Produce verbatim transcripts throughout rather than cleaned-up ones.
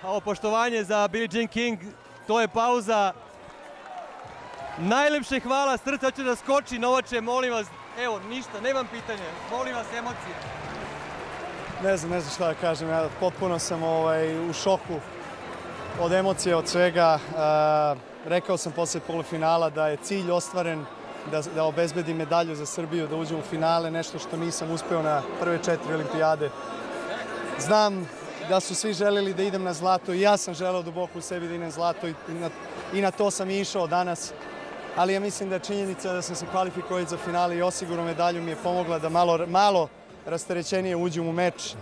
Ovo poštovanje za Billie Jean King, to je pauza. Najlepše hvala, srce hoće da skoči, Novače, molim vas, evo, ništa, nemam pitanje, molim vas, emocije. Ne znam, ne znam šta da kažem, ja potpuno sam u šoku od emocije, od svega. Rekao sam posle polufinala da je cilj ostvaren, da obezbedim medalju za Srbiju, da uđem u finale, nešto što nisam uspeo na prve četiri olimpijade. Znam da su svi želeli da idem na zlato i ja sam želeo duboko u sebi da idem na zlato i na to sam i išao danas. Ali ja mislim da je činjenica da sam se kvalifikovao za finale i osigurno medalju mi je pomogla da malo rasterećenije uđem u meč.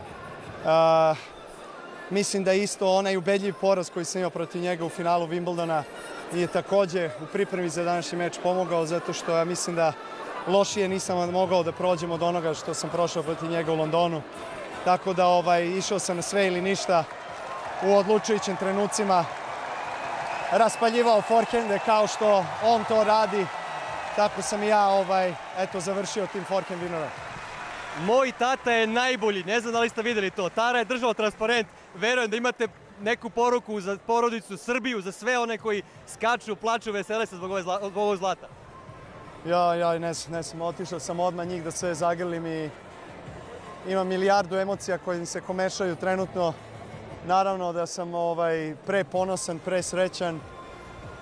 Mislim da isto onaj ubedljiv poraz koji sam imao protiv njega u finalu Wimbledona je takođe u pripremi za današnji meč pomogao, zato što ja mislim da lošije nisam mogao da prođem od onoga što sam prošao protiv njega u Londonu. Tako da išao sam na sve ili ništa u odlučujućim trenucima. Raspaljivao forhende kao što on to radi. Tako sam i ja završio tim forhend winnerom. Moj tata je najbolji, ne znam da li ste videli to. Tara je držao transparent, verujem da imate neku poruku za porodicu, Srbiju, za sve one koji skaču, plaču, vesele se zbog ovog zlata. Ja, ja, ne znam, ne znam, otišao sam odmah njih da sve zagrlim i imam milijardu emocija koje mi se komešaju trenutno. Naravno da sam pre ponosan, pre srećan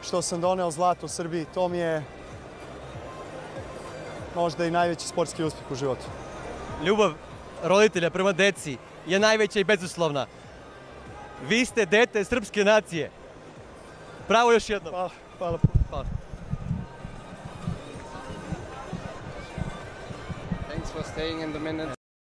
što sam doneo zlato u Srbiji. To mi je možda i najveći sportski uspjeh u životu. Ljubav roditelja prema deci je najveća i bezuslovna. Vi ste dete srpske nacije. Bravo još jednom. Hvala, hvala. Hvala. Thanks for staying in the minute.